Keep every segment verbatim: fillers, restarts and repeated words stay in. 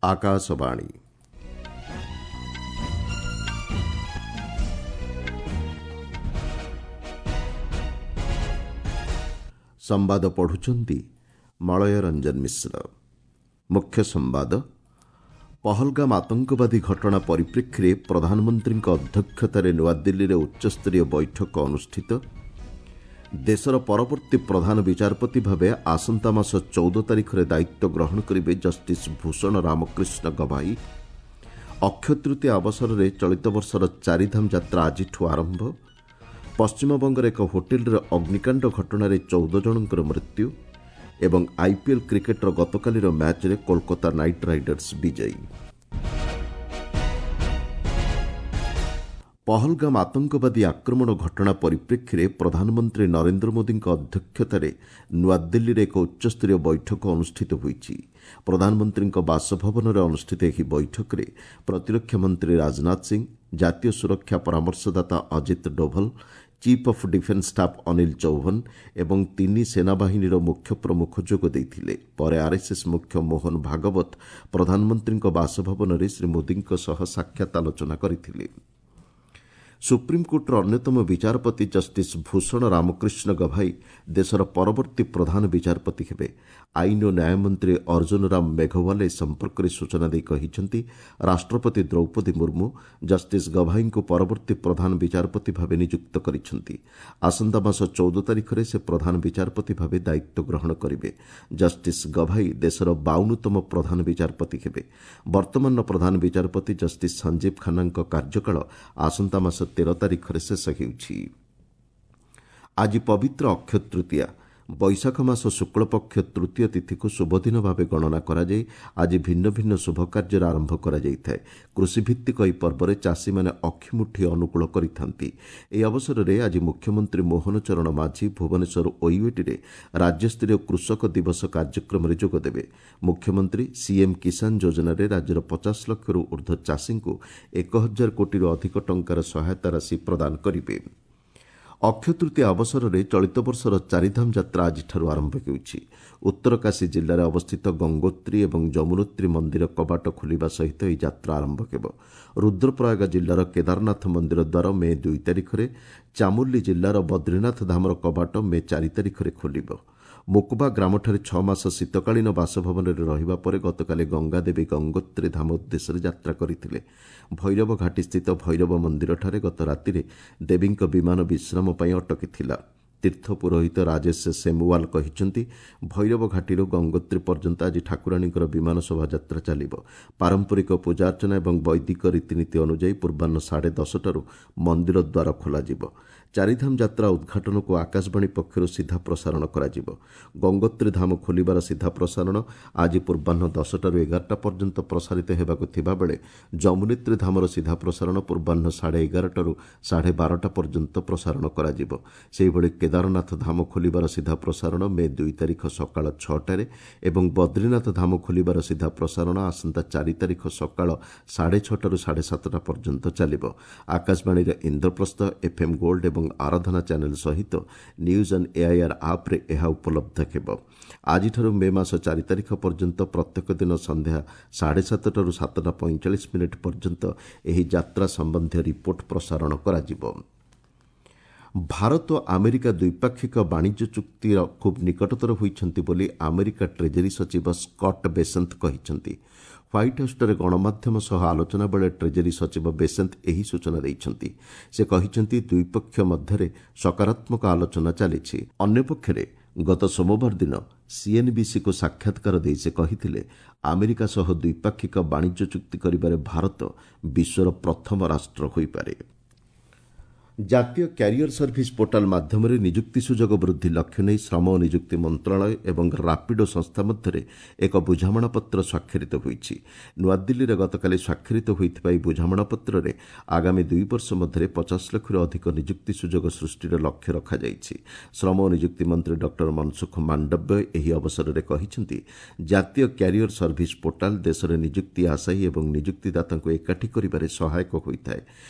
ଆକାଶବାଣୀ ସମ୍ବାଦ ପଢୁଛନ୍ତି ମଳୟ ରଞ୍ଜନ ମିଶ୍ର। ମୁଖ୍ୟ ସମ୍ବାଦ। ପହଲଗାମ ଆତଙ୍କବାଦୀ ଘଟଣା ପରିପ୍ରେକ୍ଷୀରେ ପ୍ରଧାନମନ୍ତ୍ରୀଙ୍କ ଅଧ୍ୟକ୍ଷତାରେ ନୂଆଦିଲ୍ଲୀରେ ଉଚ୍ଚସ୍ତରୀୟ ବୈଠକ ଅନୁଷ୍ଠିତ। ଦେଶର ପରବର୍ତ୍ତୀ ପ୍ରଧାନ ବିଚାରପତି ଭାବେ ଆସନ୍ତା ମାସ ଚଉଦ ତାରିଖରେ ଦାୟିତ୍ୱ ଗ୍ରହଣ କରିବେ ଜଷ୍ଟିସ୍ ଭୂଷଣ ରାମକୃଷ୍ଣ ଗଭାଇ। ଅକ୍ଷୟ ତୃତୀୟା ଅବସରରେ ଚଳିତ ବର୍ଷର ଚାରିଧାମ ଯାତ୍ରା ଆଜିଠୁ ଆରମ୍ଭ। ପଶ୍ଚିମବଙ୍ଗର ଏକ ହୋଟେଲରେ ଅଗ୍ନିକାଣ୍ଡ ଘଟଣାରେ ଚଉଦ ଜଣଙ୍କର ମୃତ୍ୟୁ ଏବଂ ଆଇପିଏଲ୍ କ୍ରିକେଟ୍ର ଗତକାଲିର ମ୍ୟାଚ୍ରେ କୋଲକାତା ନାଇଟ୍ ରାଇଡର୍ସ ବିଜୟୀ। ପହଲଗାମ ଆତଙ୍କବାଦୀ ଆକ୍ରମଣ ଘଟଣା ପରିପ୍ରେକ୍ଷୀରେ ପ୍ରଧାନମନ୍ତ୍ରୀ ନରେନ୍ଦ୍ର ମୋଦିଙ୍କ ଅଧ୍ୟକ୍ଷତାରେ ନୂଆଦିଲ୍ଲୀରେ ଏକ ଉଚ୍ଚସ୍ତରୀୟ ବୈଠକ ଅନୁଷ୍ଠିତ ହୋଇଛି। ପ୍ରଧାନମନ୍ତ୍ରୀଙ୍କ ବାସଭବନରେ ଅନୁଷ୍ଠିତ ଏହି ବୈଠକରେ ପ୍ରତିରକ୍ଷା ମନ୍ତ୍ରୀ ରାଜନାଥ ସିଂ, ଜାତୀୟ ସୁରକ୍ଷା ପରାମର୍ଶଦାତା Ajit Doval, chief of defence staff Anil Chauhan ଏବଂ ତିନି ସେନାବାହିନୀର ମୁଖ୍ୟ ପ୍ରମୁଖ ଯୋଗ ଦେଇଥିଲେ। ପରେ ଆର୍ଏସ୍ଏସ୍ ମୁଖ୍ୟ ମୋହନ ଭାଗବତ ପ୍ରଧାନମନ୍ତ୍ରୀଙ୍କ ବାସଭବନରେ ଶ୍ରୀ ମୋଦିଙ୍କ ସହ ସାକ୍ଷାତ ଆଲୋଚନା କରିଥିଲେ। ସୁପ୍ରିମକୋର୍ଟର ଅନ୍ୟତମ ବିଚାରପତି ଜଷ୍ଟିସ୍ ଭୂଷଣ ରାମକୃଷ୍ଣ ଗଭାଇ ଦେଶର ପରବର୍ତ୍ତୀ ପ୍ରଧାନ ବିଚାରପତି ହେବେ। ଆଇନ ଓ ନ୍ୟାୟମନ୍ତ୍ରୀ ଅର୍ଜୁନ ରାମ ମେଘୱାଲ ଏ ସମ୍ପର୍କରେ ସୂଚନା ଦେଇ କହିଛନ୍ତି, ରାଷ୍ଟ୍ରପତି ଦ୍ରୌପଦୀ ମୁର୍ମୁ ଜଷ୍ଟିସ୍ ଗଭାଇଙ୍କୁ ପରବର୍ତ୍ତୀ ପ୍ରଧାନ ବିଚାରପତି ଭାବେ ନିଯୁକ୍ତ କରିଛନ୍ତି। ଆସନ୍ତା ମାସ ଚଉଦ ତାରିଖରେ ସେ ପ୍ରଧାନ ବିଚାରପତି ଭାବେ ଦାୟିତ୍ୱ ଗ୍ରହଣ କରିବେ। ଜଷ୍ଟିସ୍ ଗଭାଇ ଦେଶର ବାଉନତମ ପ୍ରଧାନ ବିଚାରପତି ହେବେ। ବର୍ତ୍ତମାନର ପ୍ରଧାନ ବିଚାରପତି ଜଷ୍ଟିସ୍ ସଞ୍ଜୀବ ଖାନ୍ନାଙ୍କ କାର୍ଯ୍ୟକାଳ ଆସନ୍ତା ମାସ ତେର ତାରିଖରେ ଶେଷ ହେଉଛି। ଆଜି ପବିତ୍ର ଅକ୍ଷୟ ତୃତୀୟା। ବୈଶାଖ ମାସ ଶୁକ୍ଳପକ୍ଷ ତୃତୀୟ ତିଥିକୁ ଶୁଭଦିନ ଭାବେ ଗଣନା କରାଯାଇ ଆଜି ଭିନ୍ନ ଭିନ୍ନ ଶୁଭ କାର୍ଯ୍ୟର ଆରମ୍ଭ କରାଯାଇଥାଏ। କୃଷିଭିତ୍ତିକ ଏହି ପର୍ବରେ ଚାଷୀମାନେ ଅକ୍ଷିମୁଠି ଅନୁକୂଳ କରିଥାନ୍ତି। ଏହି ଅବସରରେ ଆଜି ମୁଖ୍ୟମନ୍ତ୍ରୀ ମୋହନ ଚରଣ ମାଝୀ ଭୁବନେଶ୍ୱର ଓୟୁଏଟିରେ ରାଜ୍ୟସ୍ତରୀୟ କୃଷକ ଦିବସ କାର୍ଯ୍ୟକ୍ରମରେ ଯୋଗଦେବେ। ମୁଖ୍ୟମନ୍ତ୍ରୀ ସିଏମ୍ କିଷାନ ଯୋଜନାରେ ରାଜ୍ୟର ପଚାଶ ଲକ୍ଷରୁ ଉର୍ଦ୍ଧ୍ୱ ଚାଷୀଙ୍କୁ ଏକ ହଜାର କୋଟିରୁ ଅଧିକ ଟଙ୍କାର ସହାୟତା ରାଶି ପ୍ରଦାନ କରିବେ। ଅକ୍ଷୟ ତୃତୀୟା ଅବସରରେ ଚଳିତ ବର୍ଷର ଚାରିଧାମ ଯାତ୍ରା ଆଜିଠାରୁ ଆରମ୍ଭ ହେଉଛି। ଉତ୍ତରକାଶୀ ଜିଲ୍ଲାରେ ଅବସ୍ଥିତ ଗଙ୍ଗୋତ୍ରୀ ଏବଂ ଯମୁନୋତ୍ରୀ ମନ୍ଦିର କବାଟ ଖୋଲିବା ସହିତ ଏହି ଯାତ୍ରା ଆରମ୍ଭ ହେବ। ରୁଦ୍ରପ୍ରୟାଗ ଜିଲ୍ଲାର କେଦାରନାଥ ମନ୍ଦିର ଦ୍ୱାର ମେ ଦୁଇ ତାରିଖରେ, ଚାମୋଲି ଜିଲ୍ଲାର ବଦ୍ରିନାଥ ଧାମର କବାଟ ମେ ଚାରି ତାରିଖରେ ଖୋଲିବ। ମୁକୁବା ଗ୍ରାମଠାରେ ଛଅ ମାସ ଶୀତକାଳୀନ ବାସଭବନରେ ରହିବା ପରେ ଗତକାଲି ଗଙ୍ଗାଦେବୀ ଗଙ୍ଗୋତ୍ରୀ ଧାମ ଉଦ୍ଦେଶ୍ୟରେ ଯାତ୍ରା କରିଥିଲେ। ଭୈରବ ଘାଟିସ୍ଥିତ ଭୈରବ ମନ୍ଦିରଠାରେ ଗତ ରାତିରେ ଦେବୀଙ୍କ ବିମାନ ବିଶ୍ରାମ ପାଇଁ ଅଟକିଥିଲା। ତୀର୍ଥ ପୁରୋହିତ ରାଜେଶ ସେମୁୱାଲ କହିଛନ୍ତି, ଭୈରବ ଘାଟିରୁ ଗଙ୍ଗୋତ୍ରୀ ପର୍ଯ୍ୟନ୍ତ ଆଜି ଠାକୁରାଣୀଙ୍କର ବିମାନ ଶୋଭାଯାତ୍ରା ଚାଲିବ। ପାରମ୍ପରିକ ପୂଜାର୍ଚ୍ଚନା ଏବଂ ବୈଦିକ ରୀତିନୀତି ଅନୁଯାୟୀ ପୂର୍ବାହ୍ନ ସାଢ଼େ ଦଶଟାରୁ ମନ୍ଦିର ଦ୍ୱାର ଖୋଲାଯିବ। ଚାରିଧାମ ଯାତ୍ରା ଉଦ୍ଘାଟନକୁ ଆକାଶବାଣୀ ପକ୍ଷରୁ ସିଧା ପ୍ରସାରଣ କରାଯିବ। ଗଙ୍ଗୋତ୍ରୀ ଧାମ ଖୋଲିବାର ସିଧା ପ୍ରସାରଣ ଆଜି ପୂର୍ବାହ୍ନ ଦଶଟାରୁ ଏଗାରଟା ପର୍ଯ୍ୟନ୍ତ ପ୍ରସାରିତ ହେବାକୁ ଥିବାବେଳେ ଯମୁନେତ୍ରୀ ଧାମର ସିଧା ପ୍ରସାରଣ ପୂର୍ବାହ୍ନ ସାଢ଼େ ଏଗାରଟାରୁ ସାଢ଼େ ବାରଟା ପର୍ଯ୍ୟନ୍ତ ପ୍ରସାରଣ କରାଯିବ। ସେହିଭଳି କେଦାରନାଥ ଧାମ ଖୋଲିବାର ସିଧା ପ୍ରସାରଣ ମେ ଦୁଇ ତାରିଖ ସକାଳ ଛଅଟାରେ ଏବଂ ବଦ୍ରିନାଥ ଧାମ ଖୋଲିବାର ସିଧା ପ୍ରସାରଣ ଆସନ୍ତା ଚାରି ତାରିଖ ସକାଳ ସାଢ଼େ ଛଅଟାରୁ ସାଢ଼େ ସାତଟା ପର୍ଯ୍ୟନ୍ତ ଚାଲିବ। ଆକାଶବାଣୀର ଇନ୍ଦ୍ରପ୍ରସ୍ଥ, ଏଫ୍ଏମ୍ ଗୋଲ୍ଡ ଏବଂ ଆରାଧନା ଚ୍ୟାନେଲ ସହିତ ନ୍ୟୁଜ୍ ଅନ୍ ଏଆଇଆର୍ ଆପ୍ରେ ଏହା ଉପଲବ୍ଧ ହେବ। ଆଜିଠାରୁ ମେ ମାସ ଚାରି ତାରିଖ ପର୍ଯ୍ୟନ୍ତ ପ୍ରତ୍ୟେକ ଦିନ ସନ୍ଧ୍ୟା ସାଢ଼େ ସାତଟାରୁ ସାତଟା ପଇଁଚାଳିଶ ମିନିଟ୍ ପର୍ଯ୍ୟନ୍ତ ଏହି ଯାତ୍ରା ସମ୍ବନ୍ଧୀୟ ରିପୋର୍ଟ ପ୍ରସାରଣ କରାଯିବ। ଭାରତ ଆମେରିକା ଦ୍ୱିପାକ୍ଷିକ ବାଣିଜ୍ୟ ଚୁକ୍ତିର ଖୁବ୍ ନିକଟତର ହୋଇଛନ୍ତି ବୋଲି ଆମେରିକା ଟ୍ରେଜେରୀ ସଚିବ ସ୍କଟ୍ ବେସନ୍ତ କହିଛନ୍ତି। ହ୍ୱାଇଟ୍ ହାଉସ୍ଠାରେ ଗଣମାଧ୍ୟମ ସହ ଆଲୋଚନା ବେଳେ ଟ୍ରେଜେରୀ ସଚିବ ବେସନ୍ତ ଏହି ସୂଚନା ଦେଇଛନ୍ତି। ସେ କହିଛନ୍ତି, ଦୁଇପକ୍ଷ ମଧ୍ୟରେ ସକାରାତ୍ମକ ଆଲୋଚନା ଚାଲିଛି। ଅନ୍ୟପକ୍ଷରେ ଗତ ସୋମବାର ଦିନ ସିଏନ୍ବିସିକୁ ସାକ୍ଷାତକାର ଦେଇ ସେ କହିଥିଲେ, ଆମେରିକା ସହ ଦ୍ୱିପାକ୍ଷିକ ବାଣିଜ୍ୟ ଚୁକ୍ତି କରିବାରେ ଭାରତ ବିଶ୍ୱର ପ୍ରଥମ ରାଷ୍ଟ୍ର ହୋଇପାରେ। ଜାତୀୟ କ୍ୟାରିୟର ସର୍ଭିସ ପୋର୍ଟାଲ ମାଧ୍ୟମରେ ନିଯୁକ୍ତି ସୁଯୋଗ ବୃଦ୍ଧି ଲକ୍ଷ୍ୟ ନେଇ ଶ୍ରମ ଓ ନିଯୁକ୍ତି ମନ୍ତ୍ରଣାଳୟ ଏବଂ ରାପିଡୋ ସଂସ୍ଥା ମଧ୍ୟରେ ଏକ ବୁଝାମଣାପତ୍ର ସ୍ୱାକ୍ଷରିତ ହୋଇଛି। ନୂଆଦିଲ୍ଲୀରେ ଗତକାଲି ସ୍ୱାକ୍ଷରିତ ହୋଇଥିବା ଏହି ବୁଝାମଣାପତ୍ରରେ ଆଗାମୀ ଦୁଇ ବର୍ଷ ମଧ୍ୟରେ ପଚାଶ ଲକ୍ଷରୁ ଅଧିକ ନିଯୁକ୍ତି ସୁଯୋଗ ସୃଷ୍ଟିର ଲକ୍ଷ୍ୟ ରଖାଯାଇଛି। ଶ୍ରମ ଓ ନିଯୁକ୍ତି ମନ୍ତ୍ରୀ ଡକ୍ଟର ମନସୁଖ ମାଣ୍ଡବ୍ୟ ଏହି ଅବସରରେ କହିଛନ୍ତି, ଜାତୀୟ କ୍ୟାରିୟର ସର୍ଭିସ ପୋର୍ଟାଲ ଦେଶରେ ନିଯୁକ୍ତି ଆଶାୟୀ ଏବଂ ନିଯୁକ୍ତିଦାତାଙ୍କୁ ଏକାଠି କରିବାରେ ସହାୟକ ହୋଇଥାଏ।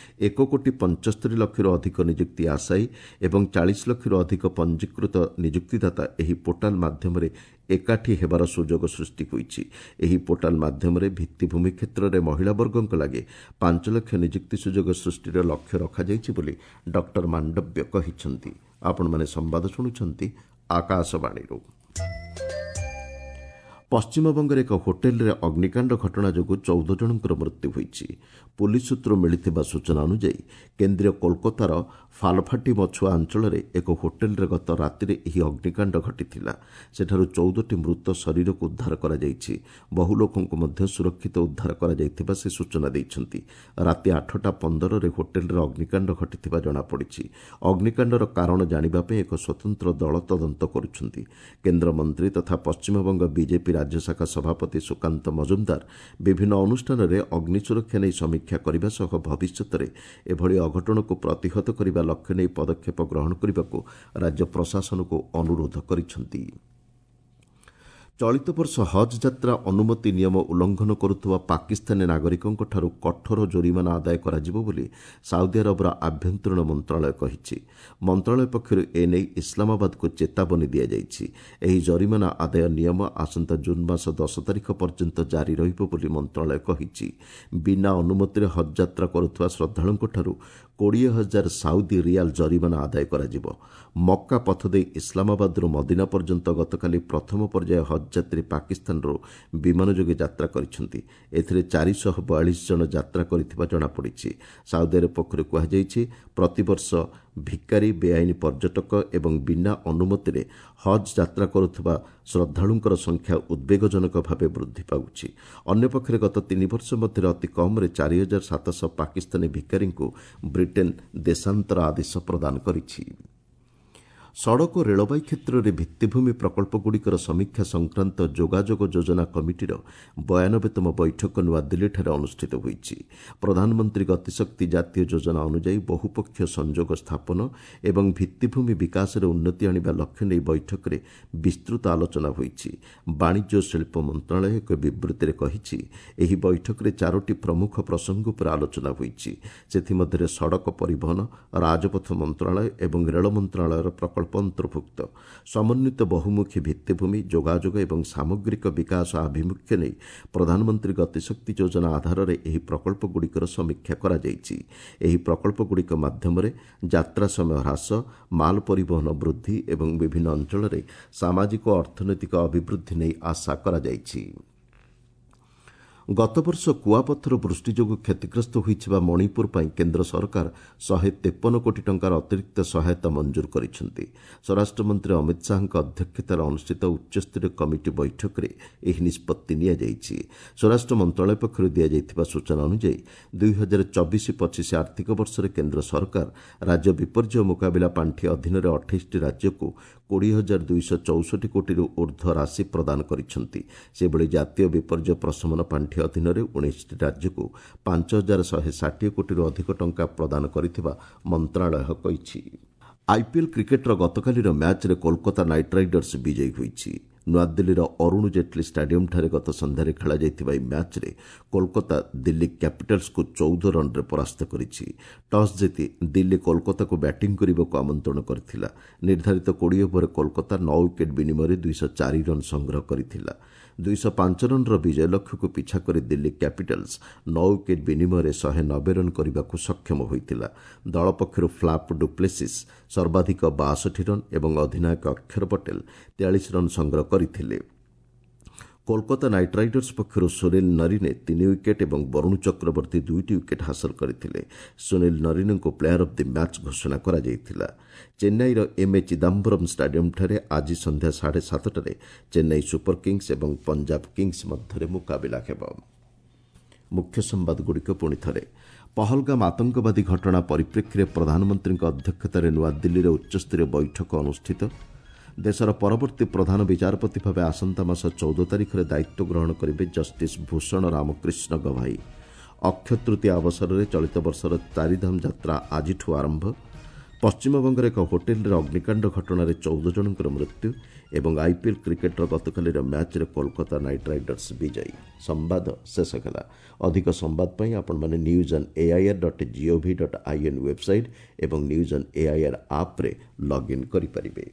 ଏକ କୋଟି ପଞ୍ଚସ୍ତରୀ ଲକ୍ଷରୁ ଅଧିକ ନିଯୁକ୍ତି ଆଶାୟୀ ଏବଂ ଚାଳିଶ ଲକ୍ଷରୁ ଅଧିକ ପଞ୍ଜୀକୃତ ନିଯୁକ୍ତିଦାତା ଏହି ପୋର୍ଟାଲ ମାଧ୍ୟମରେ ଏକାଠି ହେବାର ସୁଯୋଗ ସୃଷ୍ଟି ହୋଇଛି। ଏହି ପୋର୍ଟାଲ ମାଧ୍ୟମରେ ଭିତ୍ତିଭୂମି କ୍ଷେତ୍ରରେ ମହିଳା ବର୍ଗଙ୍କ ଲାଗି ପାଞ୍ଚ ଲକ୍ଷ ନିଯୁକ୍ତି ସୁଯୋଗ ସୃଷ୍ଟିର ଲକ୍ଷ୍ୟ ରଖାଯାଇଛି ବୋଲି ଡକ୍ଟର ମାଣ୍ଡବ୍ୟ କହିଛନ୍ତି। ଆପଣମାନେ ସମ୍ବାଦ ଶୁଣୁଛନ୍ତି ଆକାଶବାଣୀରୁ। ପଶ୍ଚିମବଙ୍ଗରେ ଏକ ହୋଟେଲରେ ଅଗ୍ନିକାଣ୍ଡ ଘଟଣା ଯୋଗୁଁ ଚଉଦ ଜଣଙ୍କର ମୃତ୍ୟୁ ହୋଇଛି। ପୁଲିସ୍ ସୂତ୍ରରୁ ମିଳିଥିବା ସୂଚନା ଅନୁଯାୟୀ କେନ୍ଦ୍ରୀୟ କୋଲକାତାର ଫାଲଫାଟି ମଛୁଆ ଅଞ୍ଚଳରେ ଏକ ହୋଟେଲରେ ଗତ ରାତିରେ ଏହି ଅଗ୍ନିକାଣ୍ଡ ଘଟିଥିଲା। ସେଠାରୁ ଚଉଦଟି ମୃତ ଶରୀରକୁ ଉଦ୍ଧାର କରାଯାଇଛି। ବହୁ ଲୋକଙ୍କୁ ମଧ୍ୟ ସୁରକ୍ଷିତ ଉଦ୍ଧାର କରାଯାଇଥିବା ସେ ସୂଚନା ଦେଇଛନ୍ତି। ରାତି ଆଠଟା ପନ୍ଦରରେ ହୋଟେଲରେ ଅଗ୍ନିକାଣ୍ଡ ଘଟିଥିବା ଜଣାପଡ଼ିଛି। ଅଗ୍ନିକାଣ୍ଡର କାରଣ ଜାଣିବା ପାଇଁ ଏକ ସ୍ୱତନ୍ତ୍ର ଦଳ ତଦନ୍ତ କରୁଛନ୍ତି। କେନ୍ଦ୍ରମନ୍ତ୍ରୀ ତଥା ପଶ୍ଚିମବଙ୍ଗ ବିଜେପି ରାଜ୍ୟ ଶାଖା ସଭାପତି ସୁକାନ୍ତ ମଜୁମଦାର ବିଭିନ୍ନ ଅନୁଷ୍ଠାନରେ ଅଗ୍ନି ସୁରକ୍ଷା ନେଇ ସମୀକ୍ଷା କରିବା ସହ ଭବିଷ୍ୟତରେ ଏଭଳି ଅଘଟଣକୁ ପ୍ରତିହତ କରିବା ଲକ୍ଷ୍ୟ ନେଇ ପଦକ୍ଷେପ ଗ୍ରହଣ କରିବାକୁ ରାଜ୍ୟ ପ୍ରଶାସନକୁ ଅନୁରୋଧ କରିଛନ୍ତି। ଚଳିତ ବର୍ଷ ହଜ୍ ଯାତ୍ରା ଅନୁମତି ନିୟମ ଉଲ୍ଲଂଘନ କରୁଥିବା ପାକିସ୍ତାନୀ ନାଗରିକଙ୍କଠାରୁ କଠୋର ଜୋରିମାନା ଆଦାୟ କରାଯିବ ବୋଲି ସାଉଦି ଆରବର ଆଭ୍ୟନ୍ତରୀଣ ମନ୍ତ୍ରଣାଳୟ କହିଛି। ମନ୍ତ୍ରଣାଳୟ ପକ୍ଷରୁ ଏନେଇ ଇସଲାମାବାଦକୁ ଚେତାବନୀ ଦିଆଯାଇଛି। ଏହି ଜରିମାନା ଆଦାୟ ନିୟମ ଆସନ୍ତା ଜୁନ୍ ମାସ ଦଶ ତାରିଖ ପର୍ଯ୍ୟନ୍ତ ଜାରି ରହିବ ବୋଲି ମନ୍ତ୍ରଣାଳୟ କହିଛି। ବିନା ଅନୁମତିରେ ହଜ୍ ଯାତ୍ରା କରୁଥିବା ଶ୍ରଦ୍ଧାଳୁଙ୍କଠାରୁ କୋଡ଼ିଏ ହଜାର ସାଉଦି ରିଆଲ ଜରିମାନା ଆଦାୟ କରାଯିବ। ମକ୍କା ପଥ ଦେଇ ଇସଲାମାବାଦରୁ ମଦିନା ପର୍ଯ୍ୟନ୍ତ ଗତକାଲି ପ୍ରଥମ ପର୍ଯ୍ୟାୟ ହଜ୍ ଯାତ୍ରୀ ପାକିସ୍ତାନରୁ ବିମାନ ଯୋଗେ ଯାତ୍ରା କରିଛନ୍ତି। ଏଥିରେ ଚାରିଶହ ବୟାଳିଶ ଜଣ ଯାତ୍ରା କରିଥିବା ଜଣାପଡ଼ିଛି। ସାଉଦି ଆରବ ପକ୍ଷରୁ କୁହାଯାଇଛି, ପ୍ରତିବର୍ଷ ଭିକାରୀ, ବେଆଇନ ପର୍ଯ୍ୟଟକ ଏବଂ ବିନା ଅନୁମତିରେ ହଜ୍ ଯାତ୍ରା କରୁଥିବା ଶ୍ରଦ୍ଧାଳୁଙ୍କର ସଂଖ୍ୟା ଉଦ୍ବେଗଜନକ ଭାବେ ବୃଦ୍ଧି ପାଉଛି। ଅନ୍ୟପକ୍ଷରେ ଗତ ତିନି ବର୍ଷ ମଧ୍ୟରେ ଅତି କମ୍ରେ ଚାରି ହଜାର ସାତଶହ ପାକିସ୍ତାନୀ ଭିକାରୀଙ୍କୁ ବ୍ରିଟେନ୍ ଦେଶାନ୍ତର ଆଦେଶ ପ୍ରଦାନ କରିଛି। ସଡ଼କ ଓ ରେଳବାଇ କ୍ଷେତ୍ରରେ ଭିତ୍ତିଭୂମି ପ୍ରକଳ୍ପଗୁଡ଼ିକର ସମୀକ୍ଷା ସଂକ୍ରାନ୍ତ ଯୋଗାଯୋଗ ଯୋଜନା କମିଟିର ବୟାନବେତମ ବୈଠକ ନୂଆଦିଲ୍ଲୀଠାରେ ଅନୁଷ୍ଠିତ ହୋଇଛି। ପ୍ରଧାନମନ୍ତ୍ରୀ ଗତିଶକ୍ତି ଜାତୀୟ ଯୋଜନା ଅନୁଯାୟୀ ବହୁପକ୍ଷୀୟ ସଂଯୋଗ ସ୍ଥାପନ ଏବଂ ଭିତ୍ତିଭୂମି ବିକାଶରେ ଉନ୍ନତି ଆଣିବା ଲକ୍ଷ୍ୟ ନେଇ ବୈଠକରେ ବିସ୍ତୃତ ଆଲୋଚନା ହୋଇଛି। ବାଣିଜ୍ୟ ଓ ଶିଳ୍ପ ମନ୍ତ୍ରଣାଳୟ ଏକ ବିବୃତ୍ତିରେ କହିଛି, ଏହି ବୈଠକରେ ଚାରୋଟି ପ୍ରମୁଖ ପ୍ରସଙ୍ଗ ଉପରେ ଆଲୋଚନା ହୋଇଛି। ସେଥିମଧ୍ୟରେ ସଡ଼କ ପରିବହନ, ରାଜପଥ ମନ୍ତ୍ରଣାଳୟ ଏବଂ ରେଳ ମନ୍ତ୍ରଣାଳୟର ପ୍ରକଳ୍ପ ଅନ୍ତର୍ଭୁକ୍ତ। ସମନ୍ୱିତ ବହୁମୁଖୀ ଭିତ୍ତିଭୂମି, ଯୋଗାଯୋଗ ଏବଂ ସାମଗ୍ରିକ ବିକାଶ ଆଭିମୁଖ୍ୟ ନେଇ ପ୍ରଧାନମନ୍ତ୍ରୀ ଗତିଶକ୍ତି ଯୋଜନା ଆଧାରରେ ଏହି ପ୍ରକଳ୍ପଗୁଡ଼ିକର ସମୀକ୍ଷା କରାଯାଇଛି। ଏହି ପ୍ରକଳ୍ପଗୁଡ଼ିକ ମାଧ୍ୟମରେ ଯାତ୍ରା ସମୟ ହ୍ରାସ, ମାଲ ପରିବହନ ବୃଦ୍ଧି ଏବଂ ବିଭିନ୍ନ ଅଞ୍ଚଳରେ ସାମାଜିକ ଓ ଅର୍ଥନୈତିକ ଅଭିବୃଦ୍ଧି ନେଇ ଆଶା କରାଯାଇଛି। ଗତବର୍ଷ କୁଆପଥର ବୃଷ୍ଟି ଯୋଗୁଁ କ୍ଷତିଗ୍ରସ୍ତ ହୋଇଥିବା ମଣିପୁର ପାଇଁ କେନ୍ଦ୍ର ସରକାର ଶହେ ତେପନ କୋଟି ଟଙ୍କାର ଅତିରିକ୍ତ ସହାୟତା ମଞ୍ଜୁର କରିଛନ୍ତି। ସ୍ୱରାଷ୍ଟ୍ରମନ୍ତ୍ରୀ ଅମିତ ଶାହାଙ୍କ ଅଧ୍ୟକ୍ଷତାରେ ଅନୁଷ୍ଠିତ ଉଚ୍ଚସ୍ତରୀୟ କମିଟି ବୈଠକରେ ଏହି ନିଷ୍ପତ୍ତି ନିଆଯାଇଛି। ସ୍ୱରାଷ୍ଟ୍ର ମନ୍ତ୍ରଣାଳୟ ପକ୍ଷରୁ ଦିଆଯାଇଥିବା ସୂଚନା ଅନୁଯାୟୀ ଦୁଇ ହଜାର ଚବିଶ ପଚିଶ ଆର୍ଥିକ ବର୍ଷରେ କେନ୍ଦ୍ର ସରକାର ରାଜ୍ୟ ବିପର୍ଯ୍ୟୟ ମୁକାବିଲା ପାଣ୍ଠି ଅଧୀନରେ ଅଠେଇଶଟି ରାଜ୍ୟକୁ କୋଡ଼ିଏ ହଜାର ଦୁଇଶହ ଚଉଷଠି କୋଟିରୁ ଉର୍ଦ୍ଧ୍ୱ ରାଶି ପ୍ରଦାନ କରିଛନ୍ତି। ସେହିଭଳି ଜାତୀୟ ବିପର୍ଯ୍ୟୟ ପ୍ରଶମନ ପାଣ୍ଠି ଅଧୀନରେ ଉଣେଇଶଟି ରାଜ୍ୟକୁ ପାଞ୍ଚ ହଜାର ଶହେ ଷାଠିଏ କୋଟିରୁ ଅଧିକ ଟଙ୍କା ପ୍ରଦାନ କରିଥିବା ମନ୍ତ୍ରଣାଳୟ କହିଛି। ଆଇପିଏଲ୍ କ୍ରିକେଟ୍ର ଗତକାଲିର ମ୍ୟାଚ୍ରେ କୋଲକାତା ନାଇଟ୍ ରାଇଡର୍ସ ବିଜୟୀ ହୋଇଛି। ନୂଆଦିଲ୍ଲୀର ଅରୁଣ ଜେଟ୍ଲୀ ଷ୍ଟାଡିୟମ୍ଠାରେ ଗତ ସନ୍ଧ୍ୟାରେ ଖେଳାଯାଇଥିବା ଏହି ମ୍ୟାଚ୍ରେ କୋଲକାତା ଦିଲ୍ଲୀ କ୍ୟାପିଟାଲ୍ସକୁ ଚଉଦ ରନ୍ରେ ପରାସ୍ତ କରିଛି। ଟସ୍ ଜିତି ଦିଲ୍ଲୀ କୋଲକାତାକୁ ବ୍ୟାଟିଂ କରିବାକୁ ଆମନ୍ତ୍ରଣ କରିଥିଲା। ନିର୍ଦ୍ଧାରିତ କୋଡ଼ିଏ ଓଭରରେ କୋଲକାତା ନଅ ୱିକେଟ୍ ବିନିମୟରେ ଦୁଇଶହ ଚାରି ରନ୍ ସଂଗ୍ରହ କରିଥିଲା। ଦୁଇଶହ ପାଞ୍ଚ ରନ୍ର ବିଜୟ ଲକ୍ଷ୍ୟକୁ ପିଛା କରି ଦିଲ୍ଲୀ କ୍ୟାପିଟାଲ୍ସ ନଅ ୱିକେଟ୍ ବିନିମୟରେ ଶହେ ନବେ ରନ୍ କରିବାକୁ ସକ୍ଷମ ହୋଇଥିଲା। ଦଳ ପକ୍ଷରୁ ଫ୍ଲାପ୍ ଡୁପ୍ଲେସିସ୍ ସର୍ବାଧିକ ବାଷଠି ରନ୍ ଏବଂ ଅଧିନାୟକ ଅକ୍ଷର ପଟେଲ ତେୟାଳିଶ ରନ୍ ସଂଗ୍ରହ କରିଥିଲେ। କୋଲକାତା ନାଇଟ୍ ରାଇଡର୍ସ ପକ୍ଷରୁ ସୁନୀଲ ନରିନେ ତିନି ୱିକେଟ୍ ଏବଂ ବରୁଣ ଚକ୍ରବର୍ତ୍ତୀ ଦୁଇଟି ୱିକେଟ୍ ହାସଲ କରିଥିଲେ। ସୁନୀଲ ନରିନେଙ୍କୁ ପ୍ଲେୟାର ଅଫ୍ the match ଘୋଷଣା କରାଯାଇଥିଲା। ଚେନ୍ନାଇର ଏମ୍ ଏ ଚିଦାମ୍ବରମ୍ ଷ୍ଟାଡିୟମ୍ଠାରେ ଆଜି ସନ୍ଧ୍ୟା ସାଢ଼େ ସାତଟାରେ ଚେନ୍ନାଇ ସୁପର କିଙ୍ଗସ୍ ଏବଂ ପଞ୍ଜାବ କିଙ୍ଗସ୍ ମଧ୍ୟରେ ମୁକାବିଲା ହେବ। ମୁଖ୍ୟ ସମ୍ବାଦଗୁଡ଼ିକ ପୁଣି ଥରେ। ପହଲଗାମ ଆତଙ୍କବାଦୀ ଘଟଣା ପରିପ୍ରେକ୍ଷୀରେ ପ୍ରଧାନମନ୍ତ୍ରୀଙ୍କ ଅଧ୍ୟକ୍ଷତାରେ ନୂଆଦିଲ୍ଲୀରେ ଉଚ୍ଚସ୍ତରୀୟ ବୈଠକ ଅନୁଷ୍ଠିତ। ଦେଶର ପରବର୍ତ୍ତୀ ପ୍ରଧାନ ବିଚାରପତି ଭାବେ ଆସନ୍ତା ମାସ ଚଉଦ ତାରିଖରେ ଦାୟିତ୍ୱ ଗ୍ରହଣ କରିବେ ଜଷ୍ଟିସ୍ ଭୂଷଣ ରାମକୃଷ୍ଣ ଗଭାଇ। ଅକ୍ଷୟ ତୃତୀୟା ଅବସରରେ ଚଳିତ ବର୍ଷର ଚାରିଧାମ ଯାତ୍ରା ଆଜିଠୁ ଆରମ୍ଭ। ପଶ୍ଚିମବଙ୍ଗର ଏକ ହୋଟେଲରେ ଅଗ୍ନିକାଣ୍ଡ ଘଟଣାରେ ଚଉଦ ଜଣଙ୍କର ମୃତ୍ୟୁ ଏବଂ ଆଇପିଏଲ୍ କ୍ରିକେଟ୍ର ଗତକାଲିର ମ୍ୟାଚ୍ରେ କୋଲକାତା ନାଇଟ୍ ରାଇଡର୍ସ ବିଜୟୀ। ସମ୍ବାଦ ଶେଷ ହେଲା। ଅଧିକ ସମ୍ବାଦ ପାଇଁ ଆପଣମାନେ news on AIR dot gov dot in website ଏବଂ ନ୍ୟୁଜ୍ ଅନ୍ ଏଆଇଆର୍ ଆପ୍ରେ ଲଗ୍ଇନ୍ କରିପାରିବେ।